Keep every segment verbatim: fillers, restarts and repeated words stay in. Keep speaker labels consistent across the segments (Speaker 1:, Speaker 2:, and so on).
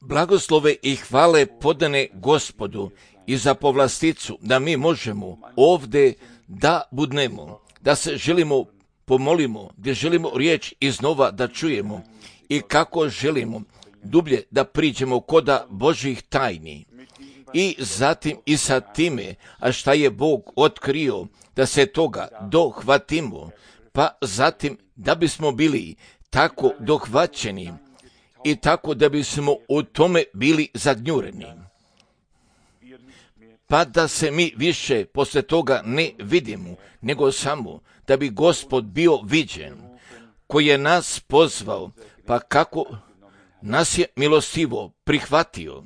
Speaker 1: Blagoslove i hvale podane Gospodu i za povlasticu da mi možemo ovdje da budnemo, da se želimo pomolimo, gdje želimo riječ iznova da čujemo i kako želimo dublje da priđemo koda Božih tajni. I zatim i sa time, a šta je Bog otkrio, da se toga dohvatimo, pa zatim da bismo bili tako dohvaćeni i tako da bismo u tome bili zagnjureni. Pa da se mi više posle toga ne vidimo, nego samo da bi Gospod bio viđen, koji je nas pozvao, pa kako nas je milostivo prihvatio.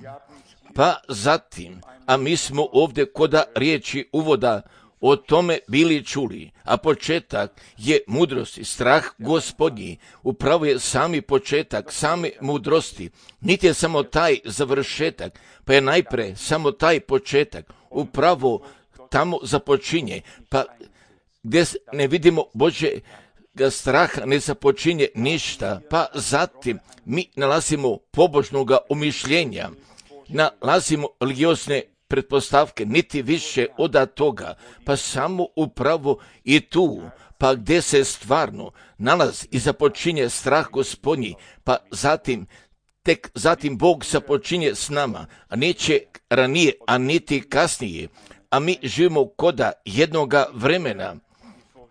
Speaker 1: Pa zatim, a mi smo ovdje koda riječi uvoda o tome bili čuli, a početak je mudrosti, strah Gospodnji, upravo je sami početak same mudrosti, niti je samo taj završetak, pa je najpre samo taj početak, upravo tamo započinje, pa gdje ne vidimo Božjega straha ne započinje ništa, pa zatim mi nalazimo pobožnoga umišljenja, nalazimo religiozne pretpostavke, niti više od toga, pa samo upravo i tu, pa gdje se stvarno nalazi i započinje strah Gospodnji, pa zatim, tek zatim Bog započinje s nama, a neće ranije, a niti kasnije, a mi živimo koda jednoga vremena,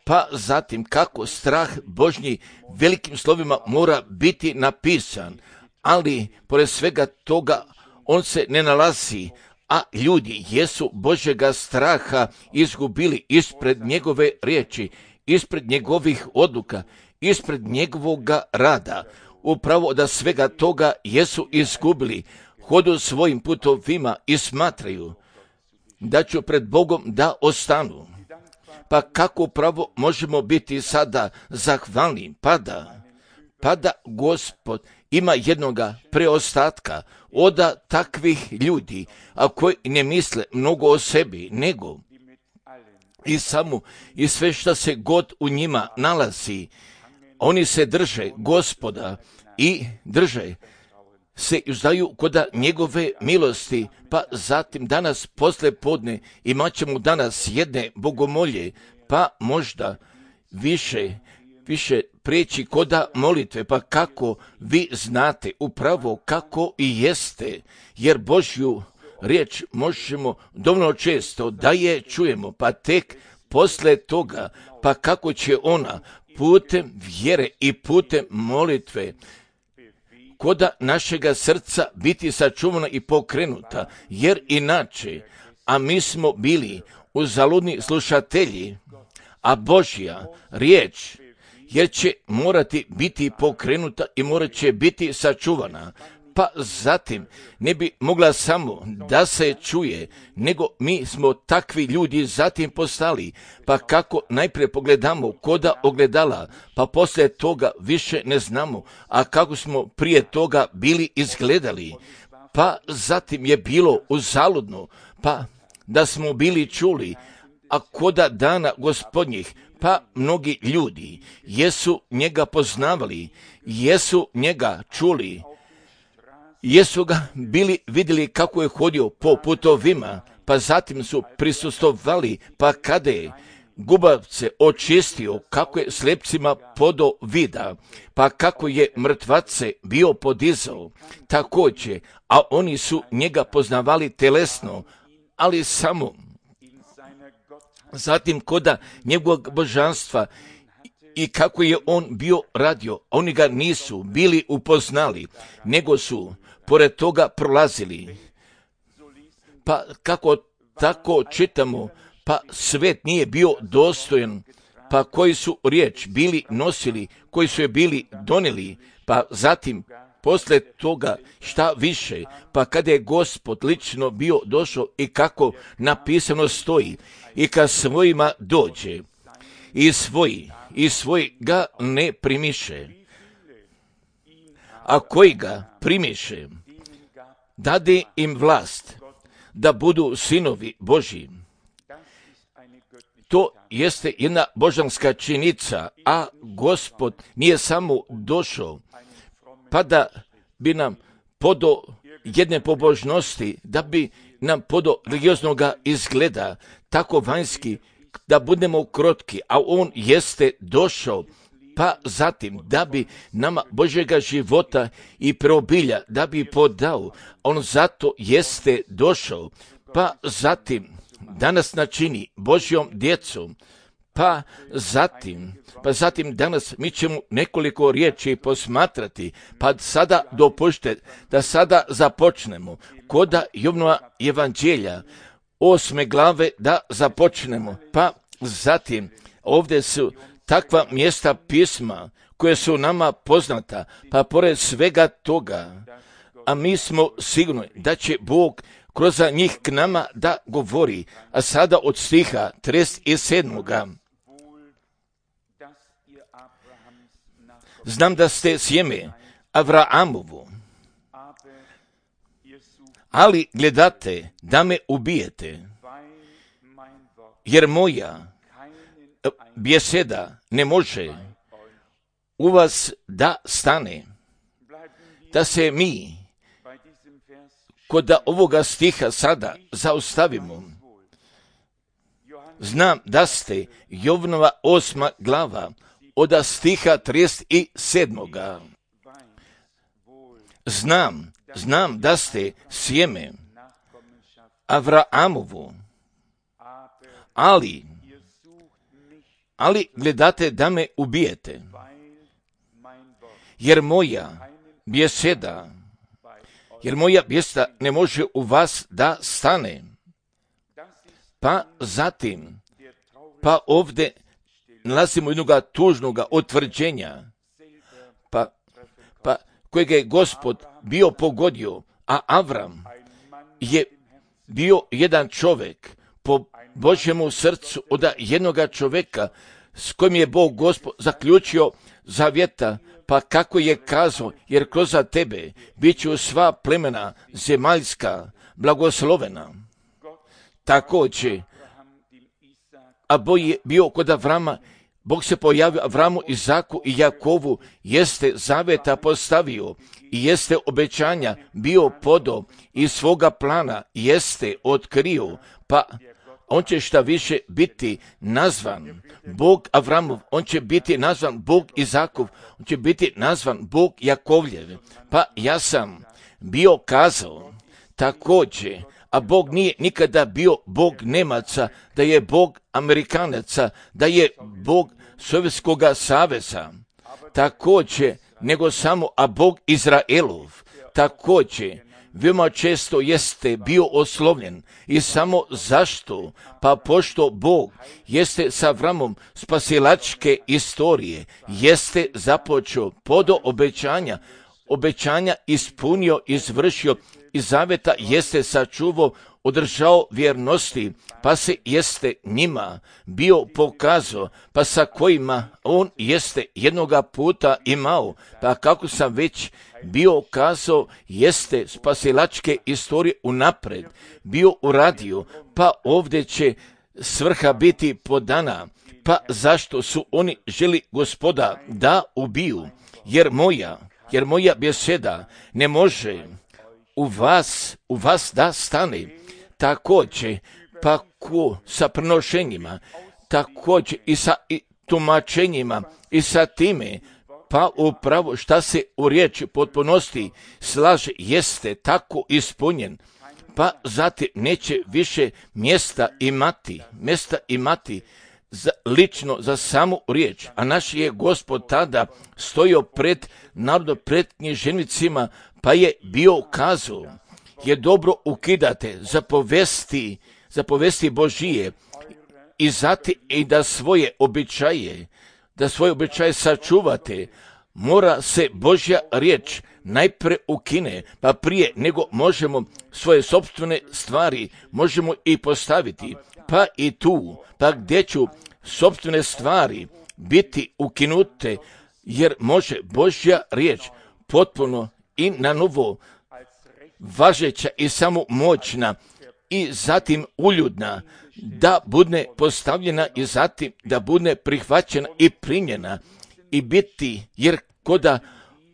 Speaker 1: pa zatim kako strah Božji velikim slovima mora biti napisan, ali pored svega toga on se ne nalazi, a ljudi jesu Božjega straha izgubili ispred njegove riječi, ispred njegovih odluka, ispred njegovoga rada. Upravo da svega toga jesu izgubili, hodu svojim putovima i smatraju da će pred Bogom da ostanu. Pa kako upravo možemo biti sada zahvalni, pada, pada Gospod ima jednoga preostatka od takvih ljudi, a koji ne misle mnogo o sebi, nego i samo i sve što se god u njima nalazi, oni se drže Gospoda i drže se uzdaju koda njegove milosti, pa zatim danas posle podne imat ćemo danas jedne bogomolje, pa možda više više prijeći koda molitve, pa kako vi znate upravo kako i jeste, jer Božju riječ možemo dovoljno često da je čujemo, pa tek posle toga, pa kako će ona putem vjere i putem molitve koda našega srca biti sačuvana i pokrenuta, jer inače, a mi smo bili uzaludni slušatelji, a Božja riječ jer će morati biti pokrenuta i morat će biti sačuvana, pa zatim ne bi mogla samo da se čuje, nego mi smo takvi ljudi zatim postali, pa kako najprije pogledamo koda ogledala, pa poslije toga više ne znamo, a kako smo prije toga bili izgledali, pa zatim je bilo uzaludno, pa da smo bili čuli, a koda dana Gospodnjih, pa mnogi ljudi jesu njega poznavali, jesu njega čuli, jesu ga bili vidjeli kako je hodio po putovima, pa zatim su prisustvovali, pa kada je gubavce očistio, kako je slepcima podo vida, pa kako je mrtvace bio podizao, također, a oni su njega poznavali telesno, ali samo zatim koda njegovog božanstva i kako je on bio radio, oni ga nisu bili upoznali, nego su pored toga prolazili. Pa kako tako čitamo, pa svet nije bio dostojan, pa koji su riječ bili nosili, koji su je bili donijeli, pa zatim posle toga šta više, pa kada je Gospod lično bio došao i kako napisano stoji, i kad svojima dođe, i svoji, i svoji ga ne primiše, a koji ga primiše, dade im vlast da budu sinovi Božji. To jeste jedna božanska činjenica, a Gospod nije samo došao pa da bi nam podo jedne pobožnosti, da bi nam podo religioznog izgleda, tako vanjski, da budemo krotki, a on jeste došao, pa zatim da bi nama Božjega života i preobilja, da bi podao, on zato jeste došao, pa zatim da nas načini Božjom djecom, pa zatim, pa zatim danas mi ćemo nekoliko riječi posmatrati, pa sada dopušte da sada započnemo koda Jovnova evanđelja, osme glave da započnemo, pa zatim ovdje su takva mjesta pisma koje su nama poznata, pa pored svega toga, a mi smo sigurni da će Bog kroz njih k nama da govori, a sada od stiha trideset sedam. Znam da ste sjeme Avraamovu, ali gledate da me ubijete, jer moja beseda ne može u vas da stane. Da se mi kod ovoga stiha sada zaustavimo. Znam da ste Jovnova osma glava od stiha trideset sedam. Znam, znam da ste sjeme Avraamovu, ali, ali gledate da me ubijete, jer moja beseda, jer moja beseda ne može u vas da stane. Pa zatim, pa ovdje nalazimo jednog tužnog utvrđenja, pa, pa kojeg je Gospod bio pogodio, a Avram je bio jedan čovjek po Božjemu srcu od jednoga čovjeka s kojim je Bog Gospod zaključio zavjeta, pa kako je kazao, jer kroz tebe bit će sva plemena zemaljska blagoslovena. Također, a Bog je bio kod Avrama, Bog se pojavio Avramu, Izaku i Jakovu, jeste zavjeta postavio i jeste obećanja bio podo i svoga plana jeste otkrio, pa on će šta više biti nazvan Bog Avramov, on će biti nazvan Bog Izakov, on će biti nazvan Bog Jakovljev. Pa ja sam bio kazao također, a Bog nije nikada bio Bog Nemaca, da je Bog Amerikanaca, da je Bog Sovjetskog saveza, također, nego samo, a Bog Izraelov, također, veoma često jeste bio oslovljen i samo zašto? Pa pošto Bog jeste sa Avramom spasilačke istorije, jeste započeo podo obećanja, obećanja ispunio, izvršio i zaveta jeste sačuvao, održao vjernosti, pa se jeste njima bio pokazao, pa sa kojima on jeste jednoga puta imao, pa kako sam već bio kazao, jeste spasilačke istorije unapred bio uradio, pa ovdje će svrha biti podana, pa zašto su oni želi Gospoda da ubiju, jer moja, jer moja beseda ne može u vas, u vas da stane. Također, pa ko sa prenošenjima, također i sa i tumačenjima i sa time, pa upravo šta se u riječi potpunosti slaže jeste tako ispunjen, pa zatim neće više mjesta imati, mjesta imati za, lično za samu riječ, a naš je Gospod tada stojio pred narodom, pred književnicima, pa je bio kazao, je dobro ukidate zapovesti, zapovesti Božije i zati i da svoje običaje, da svoje običaje sačuvate, mora se Božja riječ najprije ukine, pa prije nego možemo svoje sopstvene stvari možemo i postaviti, pa i tu, pa gdje ću sopstvene stvari biti ukinute, jer može Božja riječ potpuno i na novo važeća i samo moćna i zatim uljudna, da bude postavljena i zatim da bude prihvaćena i primljena i biti, jer koda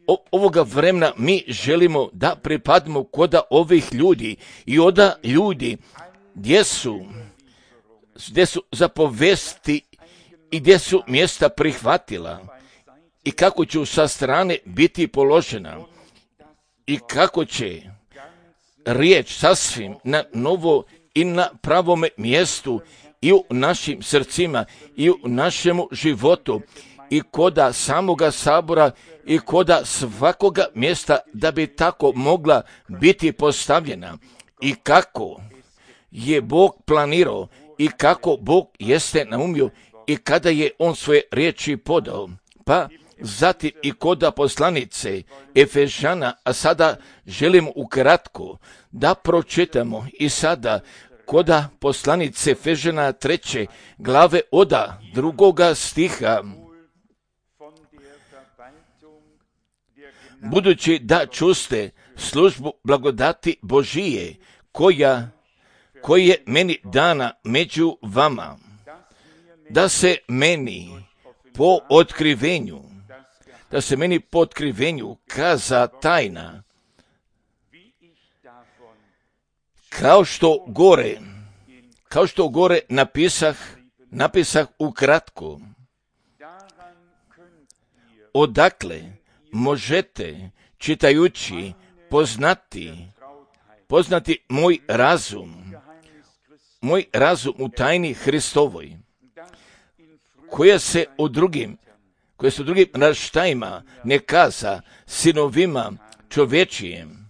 Speaker 1: o, ovoga vremena mi želimo da pripadimo koda ovih ljudi i oda ljudi gdje su, gdje su zapovesti i gdje su mjesta prihvatila i kako će sa strane biti položena i kako će riječ sasvim na novo i na pravome mjestu i u našim srcima i u našemu životu i koda samoga sabora i koda svakoga mjesta da bi tako mogla biti postavljena i kako je Bog planirao i kako Bog jeste naumio i kada je On svoje riječi podao. Pa zatim i koda poslanice Efežana, a sada želim ukratko da pročitamo i sada koda poslanice Efežana treće glave oda drugoga stiha. Budući da čuste službu blagodati Božije koja, koja je meni dana među vama, da se meni po otkrivenju, da se meni po otkrivenju kaza tajna, kao što gore, kao što gore napisah, napisah ukratko, odakle možete čitajući poznati, poznati moj razum, moj razum u tajni Hristovoj, koja se u drugim, koje su drugim raštajima ne kaza sinovima čovječijem,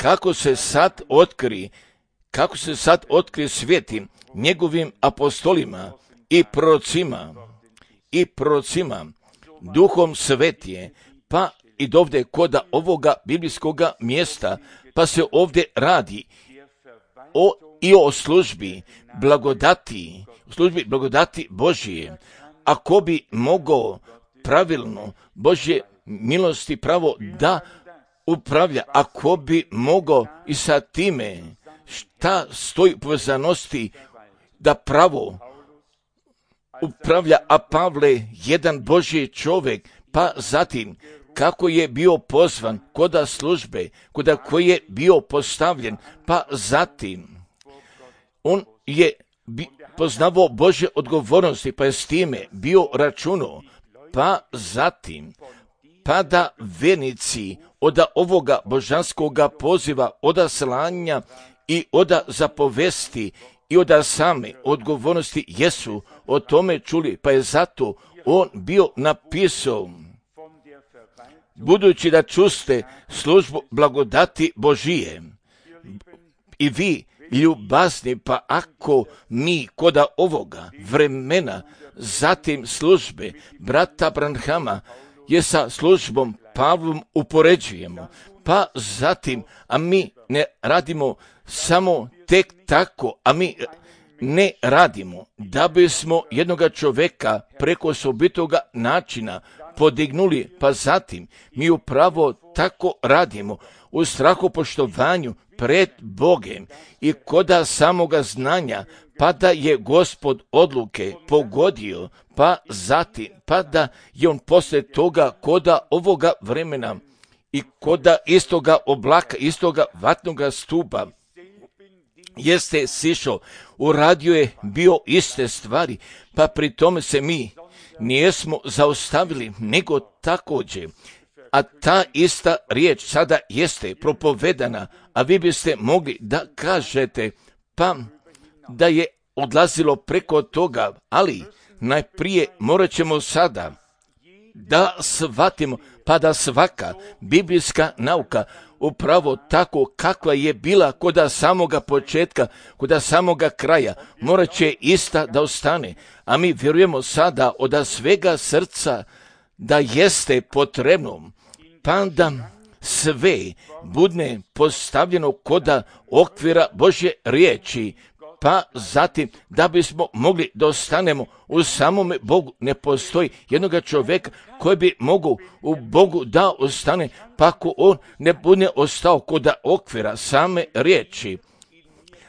Speaker 1: kako se sad otkri, kako se sad otkri svijetim njegovim apostolima i prorocima, i prorocima, duhom svetije, pa i dovde koda ovoga biblijskoga mjesta, pa se ovdje radi o, i o službi blagodati, službi blagodati Božije. Ako bi mogao pravilno Božje milosti pravo da upravlja, ako bi mogao i sa time šta stoji u povezanosti da pravo upravlja, a Pavle jedan Božji čovjek, pa zatim kako je bio pozvan koda službe, koda koji je bio postavljen, pa zatim on je bi, poznavao Božje odgovornosti, pa je s time bio računao, pa zatim pa da vernici oda ovoga božanskoga poziva, oda slanja i oda zapovesti i oda same odgovornosti jesu o tome čuli, pa je zato on bio napisao, budući da čuste službu blagodati Božije i vi ljubazni, pa ako mi koda ovoga vremena zatim službe brata Branhama je sa službom Pavlom upoređujemo, pa zatim, a mi ne radimo samo tek tako, a mi ne radimo da bismo jednoga čovjeka preko osobitoga načina podignuli, pa zatim mi upravo tako radimo u strahopoštovanju pred Bogem i koda samoga znanja, pa da je Gospod odluke pogodio, pa zatim, pa da je on poslije toga koda ovoga vremena i koda istoga oblaka, istoga vatnoga stupa, jeste sišao, uradio je bio iste stvari, pa pri tome se mi nijesmo zaustavili, nego također, a ta ista riječ sada jeste propovedana, a vi biste mogli da kažete, pa da je odlazilo preko toga, ali najprije morat ćemo sada da shvatimo, pa da svaka biblijska nauka upravo tako kakva je bila koda samoga početka, koda samoga kraja, morat će ista da ostane, a mi vjerujemo sada od svega srca da jeste potrebno, pa da sve bude postavljeno koda okvira Božje riječi, pa zatim da bismo mogli da ostanemo u samome Bogu. Ne postoji jednoga čovjeka koji bi mogao u Bogu da ostane, pa ako on ne bude ostao koda okvira same riječi.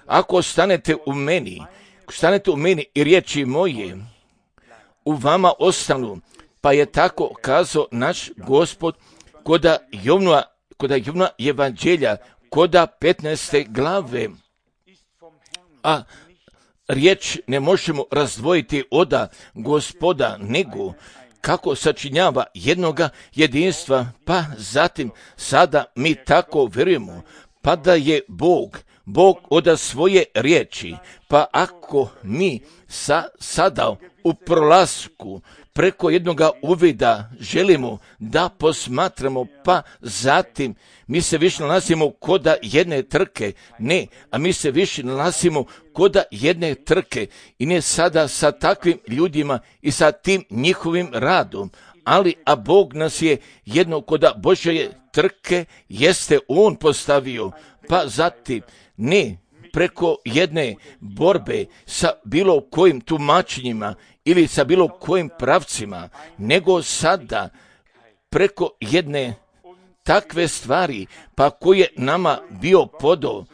Speaker 1: Ako ostanete u meni, ako ostanete u meni i riječi moje u vama ostanu, pa je tako kazao naš Gospod koda Jovnova, koda Jovnova evanđelja, koda petnaeste glave. A riječ ne možemo razdvojiti od Gospoda, nego kako sačinjava jednoga jedinstva, pa zatim sada mi tako vjerujemo, pa da je Bog, Bog od svoje riječi, pa ako mi sa, sada u prolasku preko jednoga uvida želimo da posmatramo, pa zatim mi se više nalazimo koda jedne trke, ne, a mi se više nalazimo koda jedne trke i ne sada sa takvim ljudima i sa tim njihovim radom, ali a Bog nas je jedno koda Božje trke jeste On postavio, pa zatim ne preko jedne borbe sa bilo kojim tumačenjima ili sa bilo kojim pravcima, nego sada preko jedne takve stvari, pa koje nama bio podao,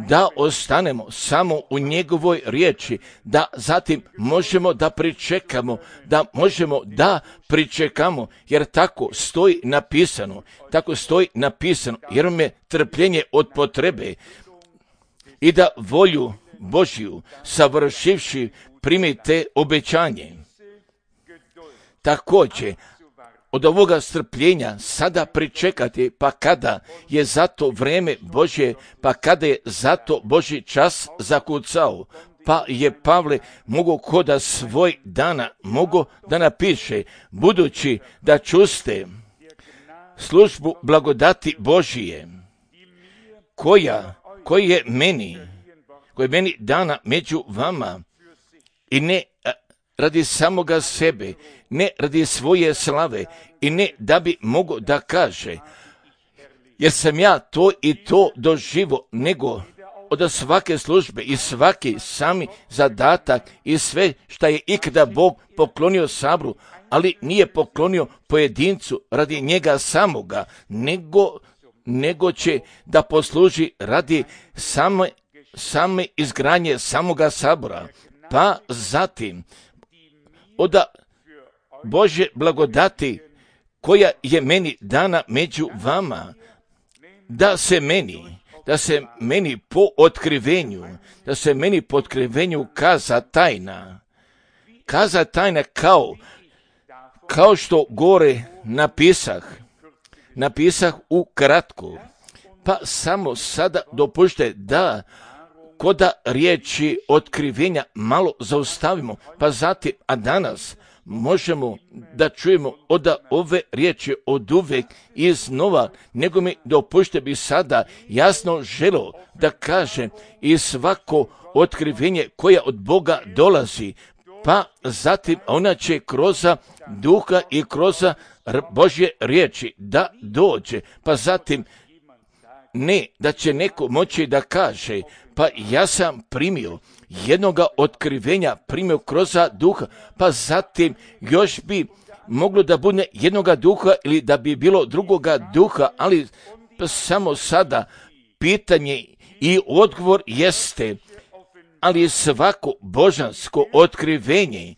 Speaker 1: da ostanemo samo u njegovoj riječi, da zatim možemo da pričekamo, da možemo da pričekamo, jer tako stoji napisano, tako stoji napisano, jer vam je trpljenje od potrebe i da volju Božju savršivši primite obećanje. Također, od ovoga strpljenja sada pričekati, pa kada je zato vrijeme Božje, pa kada je zato Božji čas zakucao, pa je Pavle mogo koda svoj dana mogo da napiše, budući da čuste službu blagodati Božije, koja, koji je meni, koji je meni dana među vama, i ne radi samoga sebe, ne radi svoje slave i ne da bi mogo da kaže, jer sam ja to i to doživo, nego od svake službe i svaki sami zadatak i sve šta je ikada Bog poklonio sabru, ali nije poklonio pojedincu radi njega samoga, nego, nego će da posluži radi same, same izgradnje samoga sabora. Pa zatim od Božje blagodati koja je meni dana među vama, da se meni, da se meni po otkrivenju, da se meni po otkrivenju kaza tajna, kaza tajna kao, kao što gore napisah, napisah u kratku, pa samo sada dopušte da koda riječi otkrivenja malo zaustavimo, pa zatim, a danas možemo da čujemo od ove riječi od uvek i iznova, nego mi dopušte bi sada jasno želo da kažem i svako otkrivenje koja od Boga dolazi, pa zatim ona će kroz duha i kroz Božje riječi da dođe, pa zatim ne da će neko moći da kaže, pa ja sam primio jednoga otkrivenja, primio kroz duha, pa zatim još bi moglo da bude jednoga duha ili da bi bilo drugoga duha, ali samo sada pitanje i odgovor jeste, ali svako božansko otkrivenje,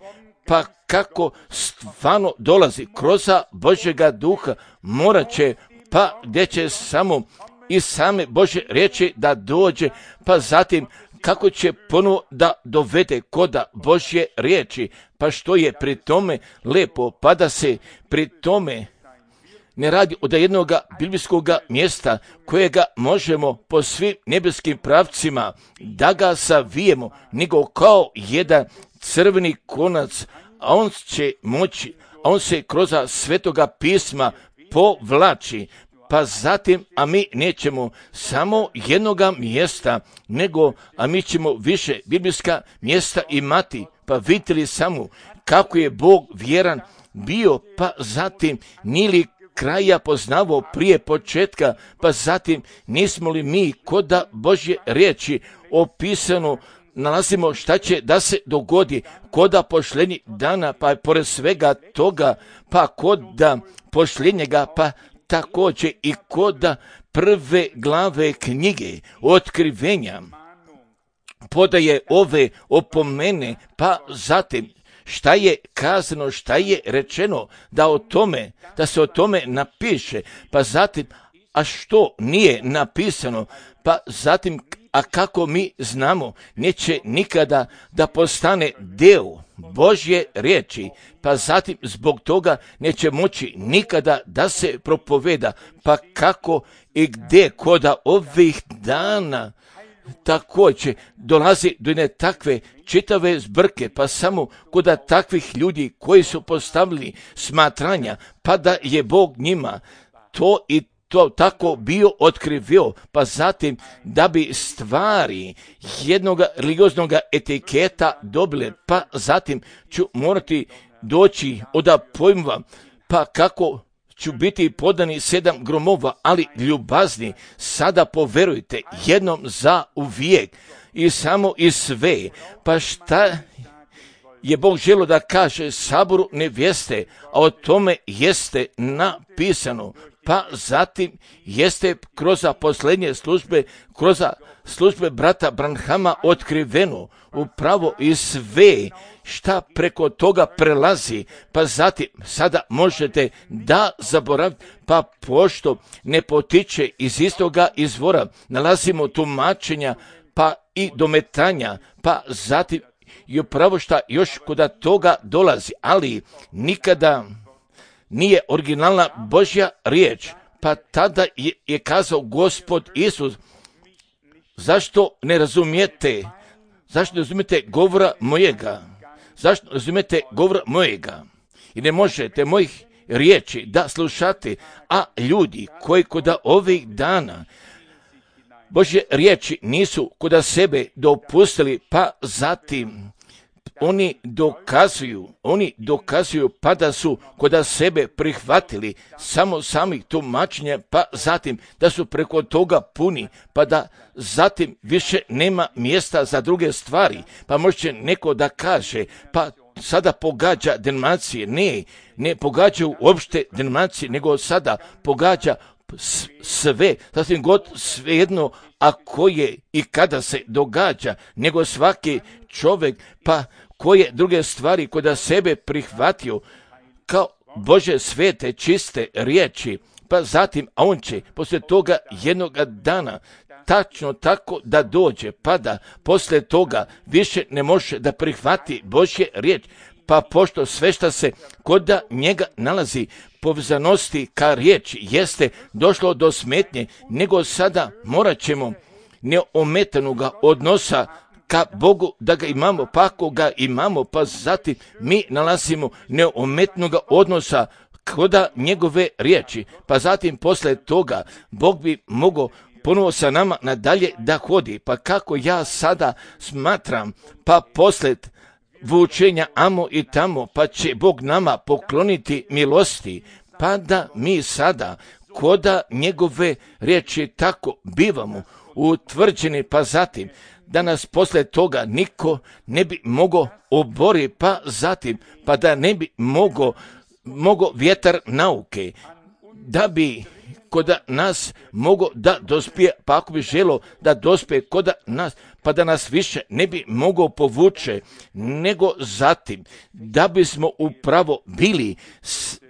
Speaker 1: pa kako stvarno dolazi kroz Božjega duha, morat će, pa gdje će samo i same Božje riječi da dođe, pa zatim kako će ponovo da dovede koda Božje riječi, pa što je pri tome lepo, pa da se pri tome ne radi od jednog biblijskog mjesta kojega možemo po svim nebeskim pravcima da ga savijemo, nego kao jedan crveni konac, a on će moći, a on se kroz svetoga pisma povlači, pa zatim, a mi nećemo samo jednoga mjesta, nego, a mi ćemo više biblijska mjesta imati, pa vidite li samo kako je Bog vjeran bio, pa zatim nije li kraja poznavao prije početka, pa zatim nismo li mi koda Božje riječi opisano nalazimo šta će da se dogodi koda pošljenji dana, pa pored svega toga, pa koda pošljenjega, pa također i koda prve glave knjige otkrivenja podaje ove opomene, pa zatim šta je kazano, šta je rečeno, da o tome, da se o tome napiše, pa zatim, a što nije napisano, pa zatim, a kako mi znamo, neće nikada da postane deo Božje riječi, pa zatim zbog toga neće moći nikada da se propoveda, pa kako i gdje koda ovih dana također dolazi do jedne takve čitave zbrke, pa samo koda takvih ljudi koji su postavili smatranja, pa da je Bog njima to i to tako bio otkrivio, pa zatim da bi stvari jednog religioznog etiketa dobile, pa zatim ću morati doći od pojmova, pa kako ću biti podani sedam gromova, ali ljubazni, sada poverujte jednom za uvijek i samo i sve, pa šta je Bog želio da kaže saboru nevjeste, a o tome jeste napisano, pa zatim jeste kroz posljednje službe, kroz službe brata Branhama otkriveno upravo i sve šta preko toga prelazi, pa zatim sada možete da zaboravite, pa pošto ne potiče iz istoga izvora, nalazimo tumačenja, pa i dometanja, pa zatim i upravo šta još kod toga dolazi, ali nikada nije originalna Božja riječ, pa tada je, je kazao Gospod Isus, zašto ne razumijete, zašto ne razumijete govora mojega, zašto ne razumijete govora mojega i ne možete mojih riječi da slušate, a ljudi koji kod ovih dana Božje riječi nisu kod sebe dopustili, pa zatim oni dokazuju, oni dokazuju pa da su kod sebe prihvatili samo samih tumačenja, pa zatim da su preko toga puni, pa da zatim više nema mjesta za druge stvari, pa može neko da kaže, pa sada pogađa denominacije, ne, ne pogađaju uopšte denominacije, nego sada pogađa sve, sasvim god svejedno, a koje i kada se događa, nego svaki čovjek, pa koje druge stvari kod sebe prihvatio kao Bože svete, čiste riječi, pa zatim, a on će poslije toga jednoga dana tačno tako da dođe, pa da poslije toga više ne može da prihvati Božje riječ, pa pošto sve što se kod njega nalazi povezanosti ka riječi jeste došlo do smetnje, nego sada morat ćemo neometanoga odnosa ka Bogu da ga imamo, pa ako ga imamo, pa zatim mi nalazimo neometnoga odnosa kod njegove riječi, pa zatim posle toga Bog bi mogao ponovo sa nama nadalje da hodi, pa kako ja sada smatram, pa posled vučenja amo i tamo, pa će Bog nama pokloniti milosti, pa da mi sada koda njegove riječi tako bivamo utvrđeni, pa zatim da nas posle toga niko ne bi mogao obori, pa zatim pa da ne bi mogao mogo vjetar nauke, da bi kod nas mogo da dospije, pa ako bi želo da dospije kod nas, pa da nas više ne bi mogao povuče, nego zatim da bismo upravo bili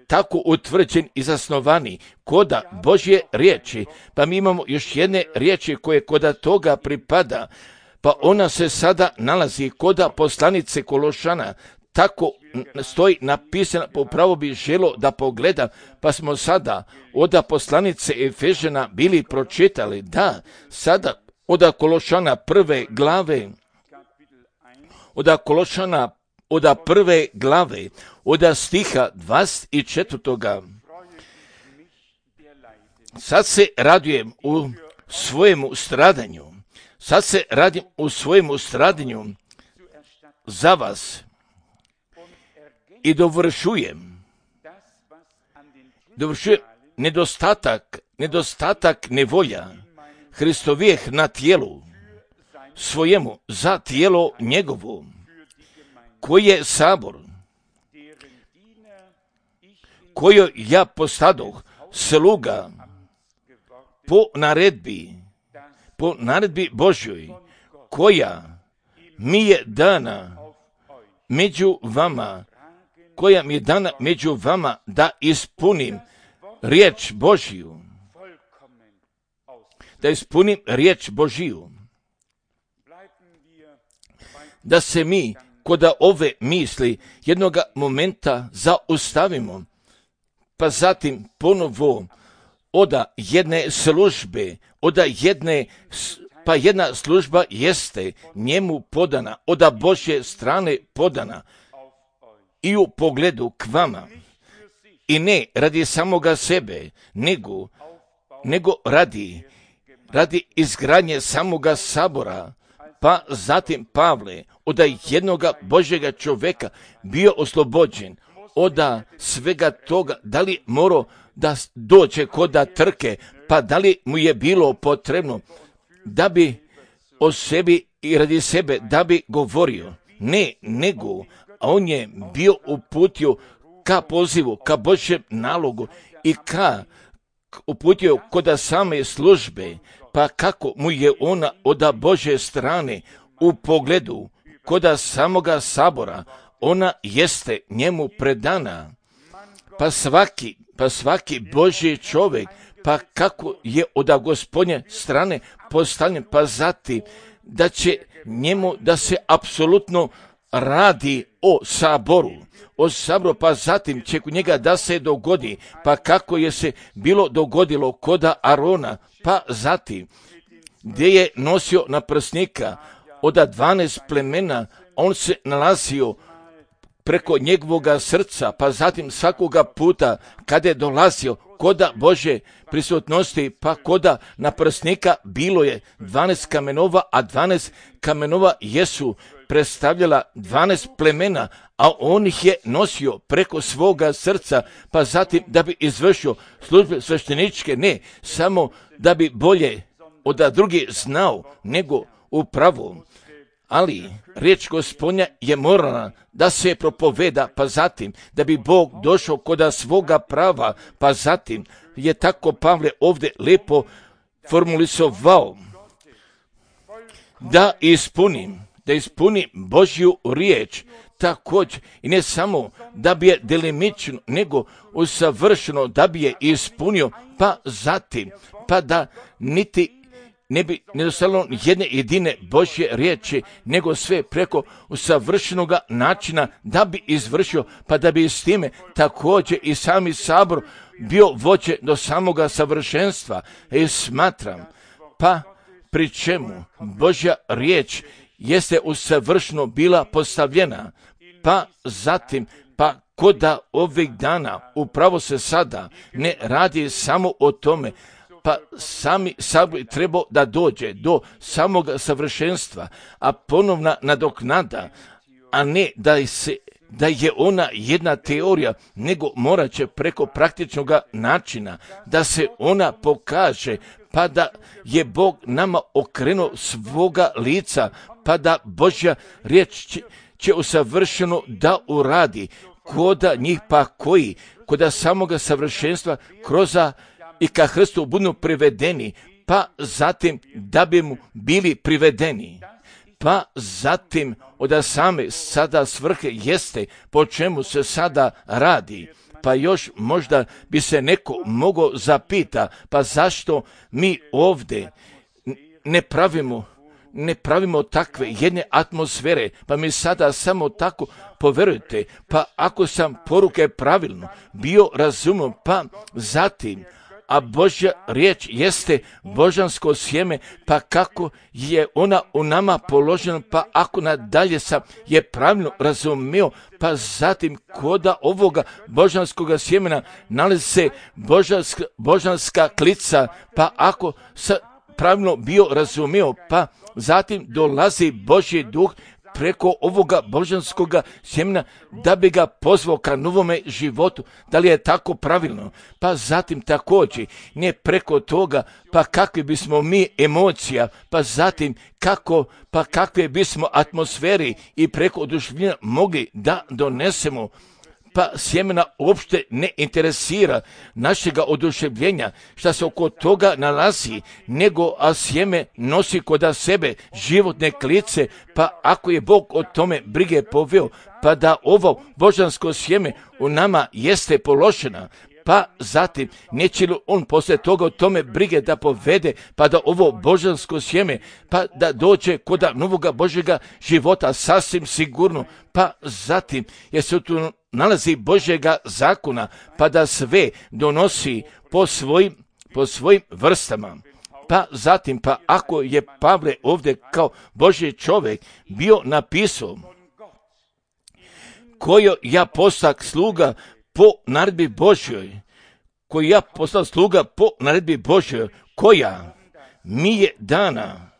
Speaker 1: tako utvrđeni i zasnovani koda Božje riječi, pa mi imamo još jedne riječi koje koda toga pripada, pa ona se sada nalazi koda poslanice Kološana, tako stoji napisana, pa upravo bi želo da pogledam, pa smo sada od poslanice Efežana bili pročitali, da, sada od Kološana prve glave, od Kološana od prve glave, od stiha dvadeset četvrtoga. Sad se radujem u svojemu stradanju, sad se radim u svojemu stradanju za vas i dovršujem, dovršujem nedostatak, nedostatak nevolja Hristovijeh na tijelu svojemu za tijelo njegovo, koji je sabor, koju ja postadoh sluga po naredbi, po naredbi Božjoj, koja mi je dana među vama, koja mi je dana među vama, da ispunim riječ Božiju. Da ispunim riječ Božiju. Da se mi kod ove misli jednoga momenta zaustavimo, pa zatim ponovo oda jedne službe, oda jedne, pa jedna služba jeste njemu podana, oda Božje strane podana i u pogledu k vama. I ne radi samoga sebe, nego, nego radi, radi izgradnje samoga sabora, pa zatim Pavle, oda jednoga Božjega čovjeka bio oslobođen oda svega toga, da li morao da dođe koda trke, pa da li mu je bilo potrebno da bi o sebi i radi sebe, da bi govorio. Ne, nego, a on je bio uputio ka pozivu, ka Božjem nalogu i ka uputio koda same službe, pa kako mu je ona oda Božje strane u pogledu koda samoga sabora, ona jeste njemu predana. Pa svaki, pa svaki Božji čovjek, pa kako je oda Gospodnje strane postavljen, pa zatim da će njemu da se apsolutno radi o saboru, o saboru, pa zatim će kod njega da se dogodi, pa kako je se bilo dogodilo koda Arona, pa zatim gdje je nosio naprsnika oda dvanaest plemena, on se nalazio preko njegovoga srca, pa zatim svakoga puta kada je dolazio koda Božje prisutnosti, pa koda naprsnika bilo je dvanaest kamenova, a dvanaest kamenova jesu predstavljala dvanaest plemena, a on ih je nosio preko svoga srca, pa zatim da bi izvršio službe svešteničke, ne samo da bi bolje od drugi znao, nego upravo. Ali riječ Gospodnja je morala da se propoveda, pa zatim da bi Bog došao koda svoga prava, pa zatim je tako Pavle ovdje lepo formulisovao da ispunim, da ispunim Božju riječ, također i ne samo da bi je delimično, nego usavršeno da bi je ispunio, pa zatim, pa da niti ne bi nedostalo jedne jedine Božje riječi, nego sve preko usavršenoga načina da bi izvršio, pa da bi s time također i sami sabor bio vođe do samoga savršenstva. I smatram, pa pri čemu Božja riječ jeste usavršeno bila postavljena, pa zatim, pa koda ovih dana upravo se sada ne radi samo o tome, pa sami sabor trebao da dođe do samog savršenstva, a ponovna nadoknada, a ne da, se, da je ona jedna teorija, nego morat će preko praktičnog načina da se ona pokaže, pa da je Bog nama okrenuo svoga lica, pa da Božja riječ će, će usavršeno da uradi koda njih, pa koji koda samoga savršenstva kroz i ka Hristu budu privedeni, pa zatim da bi mu bili privedeni, pa zatim od same sada svrhe jeste po čemu se sada radi. Pa još možda bi se neko mogao zapita, pa zašto mi ovdje ne pravimo ne pravimo takve jedne atmosfere, pa mi sada samo tako poverujte, pa ako sam poruke pravilno bio razumio, pa zatim a Božja riječ jeste božansko sjeme, pa kako je ona u nama položena, pa ako nadalje sam je pravilno razumio, pa zatim koda ovoga božanskoga sjemena nalazi se božanska, božanska klica, pa ako sam pravilno bio razumio, pa zatim dolazi Božji duh preko ovoga božanskoga sjemena da bi ga pozvao ka novome životu. Da li je tako pravilno? Pa zatim također ne preko toga, pa kakvi bismo mi emocija, pa zatim kako, pa kakve bismo atmosferi i preko oduševljenja mogli da donesemo, pa sjemena uopšte ne interesira našega oduševljenja šta se oko toga nalazi, nego a sjeme nosi koda sebe životne klice, pa ako je Bog o tome brige poveo, pa da ovo božansko sjeme u nama jeste položena, pa zatim neće li on poslije toga o tome brige da povede, pa da ovo božansko sjeme, pa da dođe koda novoga Božjega života sasvim sigurno, pa zatim jer se tu nalazi Božjega zakona, pa da sve donosi po svojim, po svojim vrstama. Pa zatim, pa ako je Pavle ovdje kao Božji čovjek bio napisao, kojo ja postak sluga po naredbi Božjoj, koji ja postao sluga po naredbi Božjoj, koja mi je dana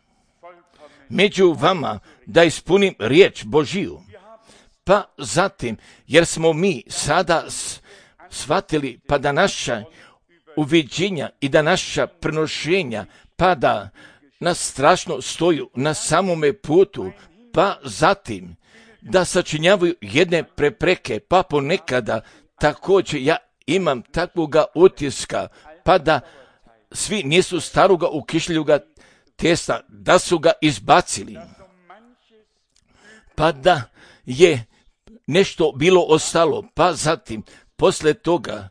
Speaker 1: među vama da ispunim riječ Božiju. Pa zatim, jer smo mi sada shvatili, pa da naša uviđenja i da naša prenošenja, pa da nas strašno stoju na samome putu, pa zatim da sačinjavaju jedne prepreke, pa ponekada također ja imam takvoga utiska, pa da svi nisu staroga ukišljuga testa, da su ga izbacili, pa da je nešto bilo ostalo, pa zatim poslije toga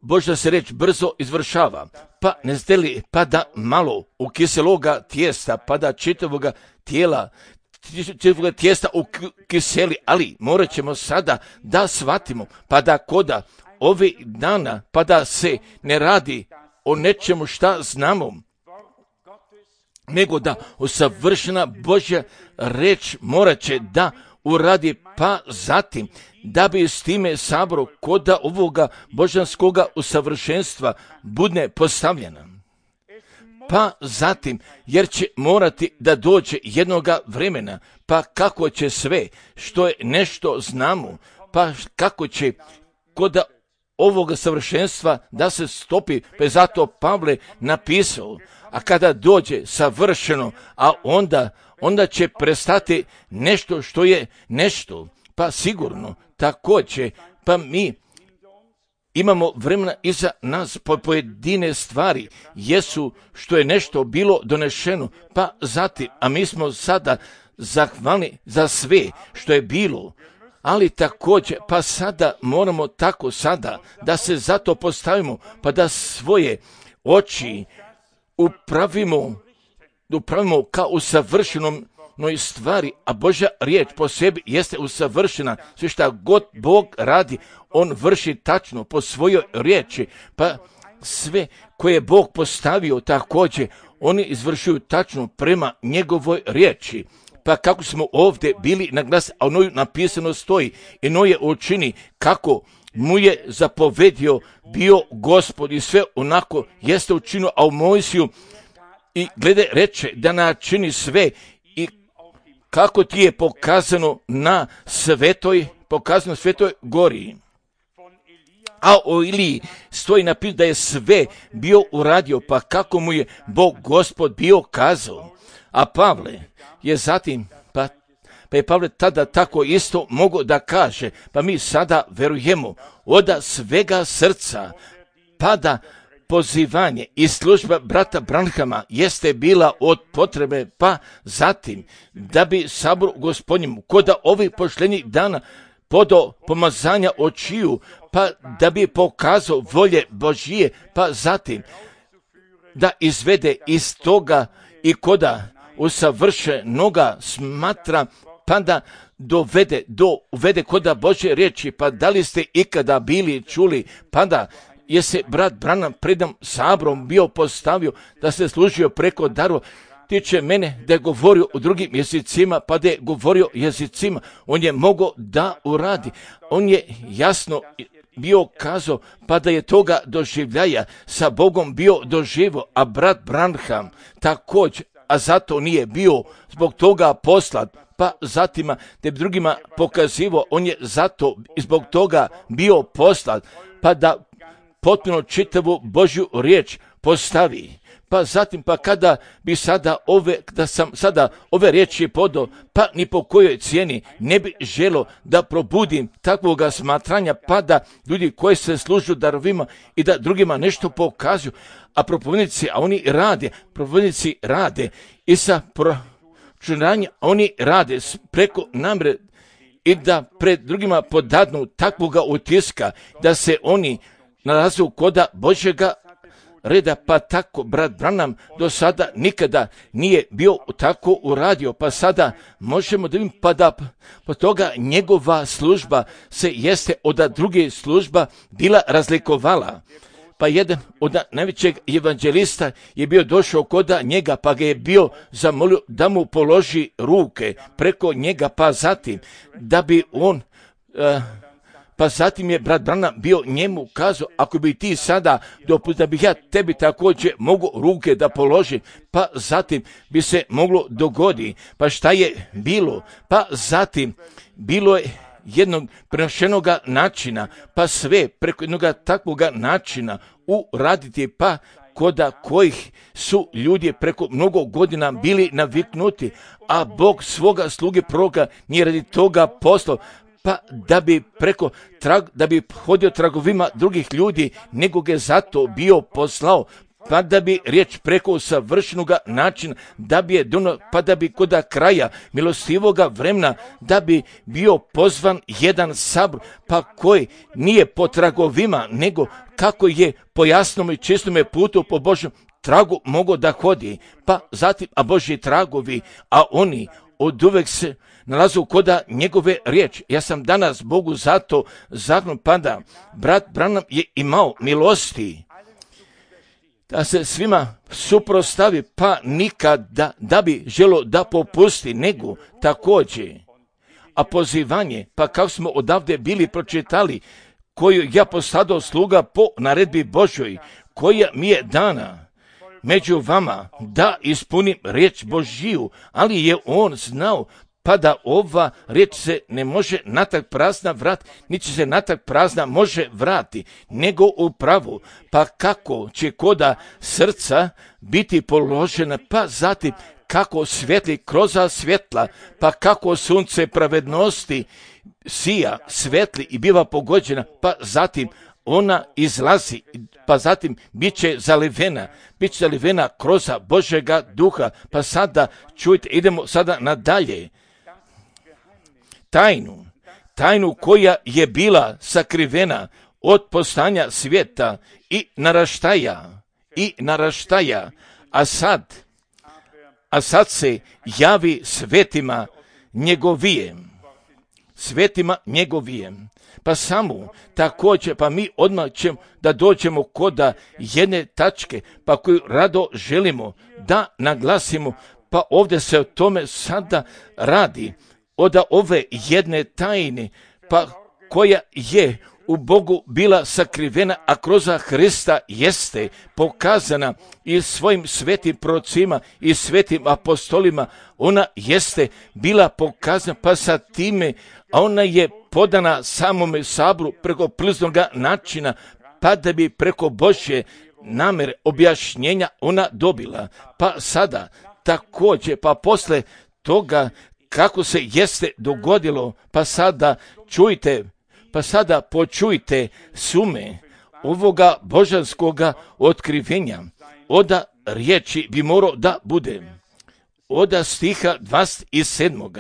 Speaker 1: Božja se reč brzo izvršava, pa ne zdeli, pa da malo ukiseloga tijesta, pa da čitavoga tijela, čitavoga tijesta ukiseli, ali morat ćemo sada da shvatimo, pa da koda ovih dana, pa da se ne radi o nečemu šta znamo, nego da usavršena Božja reč morat će da uradi, pa zatim da bi s time sabor koda ovoga božanskoga usavršenstva bude postavljena. Pa zatim, jer će morati da dođe jednoga vremena, pa kako će sve što je nešto znamo, pa kako će koda ovoga savršenstva da se stopi, pa je zato Pavle napisao, a kada dođe savršeno, a onda, onda će prestati nešto što je nešto, pa sigurno također, pa mi imamo vremena iza nas po pojedine stvari, jesu što je nešto bilo donešeno, pa zatim, a mi smo sada zahvalni za sve što je bilo, ali također, pa sada moramo tako sada da se zato postavimo, pa da svoje oči upravimo, upravimo kao u savršenom stvari, a Božja riječ po sebi jeste usavršena. Sve šta god Bog radi, on vrši tačno po svojoj riječi, pa sve koje je Bog postavio također, oni izvršuju tačno prema njegovoj riječi. Pa kako smo ovdje bili na glas, a ono napisano stoji, i no je učini kako mu je zapovedio bio Gospod i sve onako jeste učinio, a u Mojsiju i glede reče da načini sve i kako ti je pokazano na svetoj, pokazano svetoj gori. A o Iliji stoji napisano da je sve bio uradio, pa kako mu je Bog Gospod bio kazao. A Pavle je zatim, pa, pa je Pavle tada tako isto mogao da kaže, pa mi sada verujemo od svega srca, pa da pozivanje i služba brata Branhama jeste bila od potrebe, pa zatim da bi sabor Gospodnjemu koda ovih pošljenih dana podo pomazanja očiju, pa da bi pokazao volje Božije, pa zatim da izvede iz toga i koda usavršenoga smatra, pa da dovede, do, uvede koda Božje riječi, pa da li ste ikada bili čuli, pa da je se brat Branham predam sabrom bio postavio da se služio preko darova, tiče mene da je govorio u drugim jezicima, pa da je govorio jezicima, on je mogao da uradi, on je jasno bio kazao, pa da je toga doživljaja sa Bogom bio doživo, a brat Branham također, a zato nije bio zbog toga poslat, pa zatima te drugima pokazivo, on je zato i zbog toga bio poslat, pa da potpuno čitavu Božju riječ postavi. Pa zatim, pa kada bi sada ove, da sam sada ove riječi podao, pa ni po kojoj cijeni ne bi želo da probudim takvoga smatranja, pa da ljudi koji se služu darovima i da drugima nešto pokazuju, a propovednici, a oni rade, propovednici rade i sa pročunanjem, oni rade preko namre i da pred drugima podadnu takvoga utiska, da se oni nalaze koda Božjega reda, pa tako brat Branham do sada nikada nije bio tako uradio, pa sada možemo da vidimo, pa da po toga njegova služba se jeste od druge služba bila razlikovala. Pa jedan od najvećeg evanđelista je bio došao koda njega, pa ga je bio zamolio da mu položi ruke preko njega, pa zatim da bi on... Uh, Pa zatim je brat Branham bio njemu kazao, ako bi ti sada dopustio da bih ja tebi također mogu ruke da položim, pa zatim bi se moglo dogoditi. Pa šta je bilo? Pa zatim bilo je jednog prenošenog načina, pa sve preko jednog takvog načina uraditi, pa koda kojih su ljudi preko mnogo godina bili naviknuti, a Bog svoga sluge proroka nije radi toga poslao, pa da bi preko trag, da bi hodio tragovima drugih ljudi, nego ga zato bio poslao, pa da bi riječ preko savršenog načina, da bi je dono, pa da bi koda kraja milostivoga vremena, da bi bio pozvan jedan sabor, pa koji nije po tragovima, nego kako je po jasnom i čistome putu po Božjem tragu mogo da hodi, pa zatim, a Božji tragovi, a oni od uvek se nalazu koda njegove riječi. Ja sam danas Bogu zato zahvalan, pa da brat Branham je imao milosti da se svima suprostavi, pa nikada da bi želo da popusti, nego također. A pozivanje, pa kako smo odavde bili pročitali, koju ja posadao sluga po naredbi Božoj, koja mi je dana među vama da ispunim riječ Božiju, ali je on znao, pa da ova riječ se ne može natak prazna vrat, niti se natak prazna može vrati, nego upravo, pa kako će koda srca biti položena, pa zatim kako svetli kroz svjetla, pa kako sunce pravednosti sija, svetli i biva pogođena, pa zatim ona izlazi, pa zatim bit će zalivena, bit će zalivena kroz Božjega duha, pa sada čujte, idemo sada nadalje. Tajnu, tajnu koja je bila sakrivena od postanja svijeta i naraštaja, i naraštaja, a sad, a sad se javi svetima njegovijem, svetima njegovijem. Pa samo također, pa mi odmah ćemo da dođemo koda jedne tačke, pa koju rado želimo da naglasimo, pa ovdje se o tome sada radi, od ove jedne tajne, pa koja je u Bogu bila sakrivena, a kroz Hrista jeste pokazana i svojim svetim prorocima i svetim apostolima, ona jeste bila pokazana, pa sa time, a ona je podana samome saboru preko priznog načina, pa da bi preko Božje namere objašnjenja ona dobila. Pa sada također, pa posle toga kako se jeste dogodilo, pa sada čujte, pa sada počujte sume ovoga božanskoga otkrivenja. Oda riječi bi morao da bude. Oda stiha dvadeset sedam.